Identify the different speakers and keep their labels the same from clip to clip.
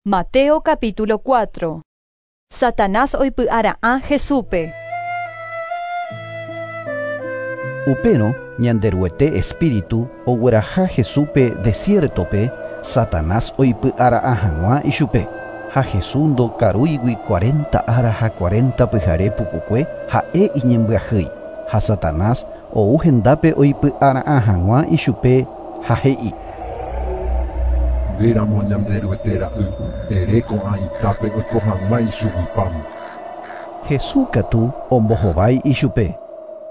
Speaker 1: Mateo capítulo 4. Satanás oipy'ara'ã Jesúspe.
Speaker 2: Upérõ Ñanderuete espíritu ogueraha Jesúspe desiértope Satanás oipy'ara'ã hag̃ua ichupe. Ha Jesús ndokarúigui cuarenta ára ha cuarenta pyhare pukukue ha'e iñembyahýi. Ha Satanás ou hendápe oipy'ara'ã hag̃ua ichupe ha he'i.
Speaker 3: Ndéramo Ñanderuete ra'y, ere ko'ã itápe oiko hag̃ua ichugui pan.
Speaker 2: Jesús katu ombohovái ichupe.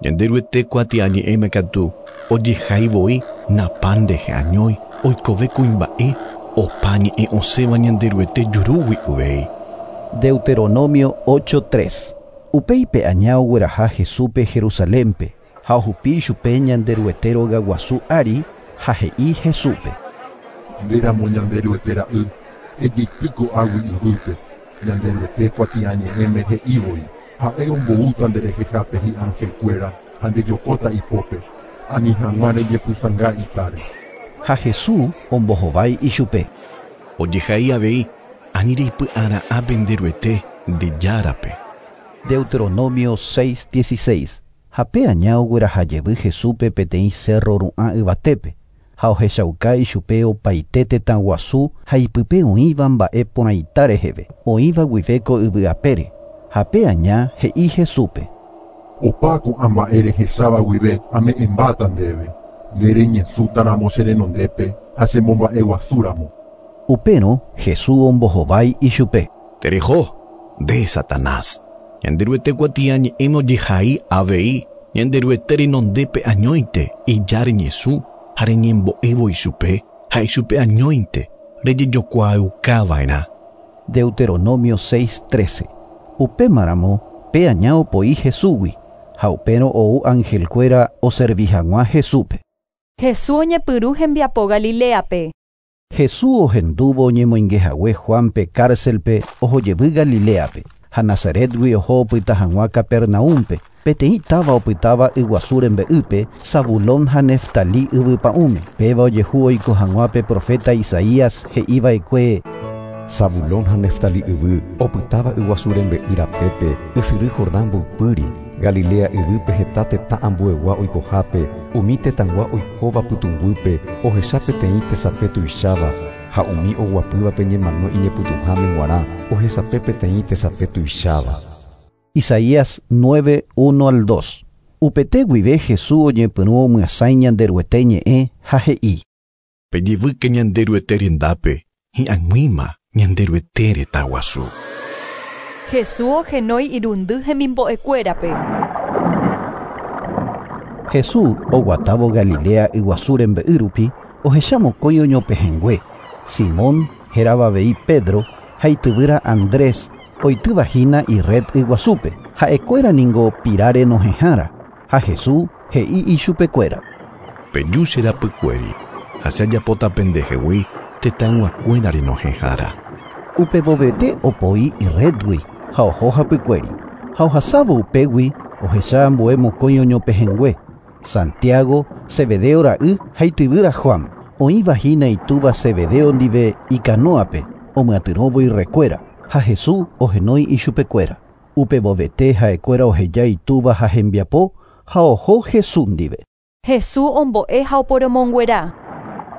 Speaker 4: Ñanderuete kuatiañe'ẽme katu ojehai voi na pan rehe añói oikove kuimba'e opa ñe'ẽ osẽva Ñanderuete jurúgui uvei.
Speaker 2: Deuteronomio 8:3. Upéi pe aña ogueraha Jesúspe Jerusalénpe ha ohupi ichupe Ñanderuete rogaguasu ári ha he'i Jesúspe.
Speaker 3: Ndéramo Ñanderuete ra'y, ejeity ko'águi yvýpe. Ñanderuete kuatiañe'ẽme he'i voi. Ha'e omboúta nderehehápe hi'angelkuéra ha ndejokóta ipópe. Ani hag̃ua rejepysãnga itáre.
Speaker 2: Ha Jesús ombohovái ichupe.
Speaker 4: Ojehai avei ani reipy'ara'ã pende Ruete nde Járape.
Speaker 2: Deuteronomio 6:16. Ha pe aña ogueraha jevy Jesúspe peteĩ cerro ru'ã yvatépe. Ha ohechauka ichupe opaite tetã guasu ha ipype oĩva mba'e porãita reheve, oĩva guive ko yvy apére. Ha pe aña he'i Jesúspe.
Speaker 3: Opa ko'ã mba'e rehecháva guive ame'ẽmbáta ndéve. Nde reñesũtaramo che renondépe ha chemomba'eguasúramo.
Speaker 2: Upérõ Jesús ombohovái ichupe.
Speaker 4: Tereho, nde Satanás. Ñanderuete kuatiañe'ẽme ojehai avei Ñanderuete renondépe añóinte ija reñesũ ha reñembo'évo ichupe ha ichupe añóinte rejejokuaaukava'erã.
Speaker 2: Deuteronomio 6:13. Upémaramo pe aña opoi Jesúsgui ha upérõ ou angelkuéra oservi hag̃ua Jesúspe.
Speaker 1: Jesús oñepyrũ hembiapo Galileape.
Speaker 2: Jesús ohendúvo oñemoingehague Juanpe cárcelpe ohojevy Galileape ha Nazaretgui oho opyta hag̃ua Capernaúmpe peteĩ táva opytáva yguasu rembe'ýpe Zabulón ha Neftalí yvypa'ũme. Péva ojehu oiko hag̃ua pe profeta Isaías he'iva'ekue.
Speaker 5: Zabulón ha Neftalí yvy opytáva yguasu rembe'y rapépe ysyry Jordán mboypýri. Galilea yvýpe heta tetã ambuegua oikohápe umi tetãygua oikóva pytũnguýpe ohecha peteĩ tesape tuicháva ha umi oguapývape ñemano iñepytũháme g̃uarã ohesape peteĩ tesape tuicháva.
Speaker 2: Isaías 9, 1 al 2. Upete guive Jesús oñepyrũ omyasãi Ñanderuete ñe'ẽ ha he'i.
Speaker 4: Pejevýke Ñanderuete rendápe hi'ag̃uíma Ñanderuete retã guasu.
Speaker 1: Jesús ohenói irundy hemimbo'ekuérape.
Speaker 2: Jesús oguatávo Galilea yguasu rembe'y rupi ohecha mokõi oñopehẽngue. Simón hérava avei Pedro ha ityvýra Andrés oityvahína ired yguasúpe. Ha'ekuéra ningo pira renohẽhára ha Jesús he'i ichupekuéra.
Speaker 4: Peju che rapykuéri ha che ajapóta pendehegui tetãyguakuéra renohẽhára.
Speaker 2: Upevovete opoi iredgui ha oho hapykuéri. Ha ohasávo upégui ohecha ambue mokõi oñopehẽngue. Santiago, Zebedeo ra'y ha ityvýra Juan. Oĩvahína itúva Zebedeo ndive ikanóape omyatyrõvo irrekuéra ha Jesús ohenói ichupekuéra. Upevovete ha'ekuéra oheja itúva ha hembiapo ha oho Jesús ndive.
Speaker 1: Jesús ombo'e ha oporomonguera.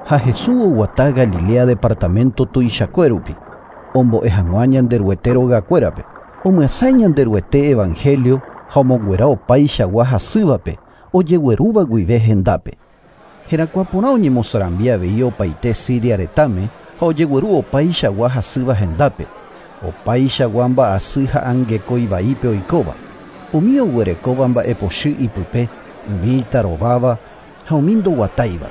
Speaker 2: Ha Jesús oguata Galilea departamento tuichakue rupi. Ombo'e hag̃ua Ñanderuete rogakuérape. Omyasãi Ñanderuete evangelio ha omonguera opaichagua hasývape ojeguerúva guive hendápe. Herakuãporã oñemosarambi avei opaite Siria retãme ha ojegueru opaichagua hasýva hendápe. Opaichagua mba'asy ha angekói vaípe oikóva. Umi oguerekóva mba'epochy ipype, umi itarováva ha umi ndoguatáiva.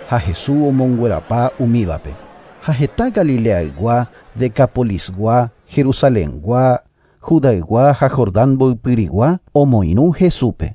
Speaker 2: Ha Jesús omonguerapa umívape. Ha heta Galileaygua, Decapolisgua, Jerusalengua, Judaygua ha Jordán mboypyrigua omoirũ Jesúspe.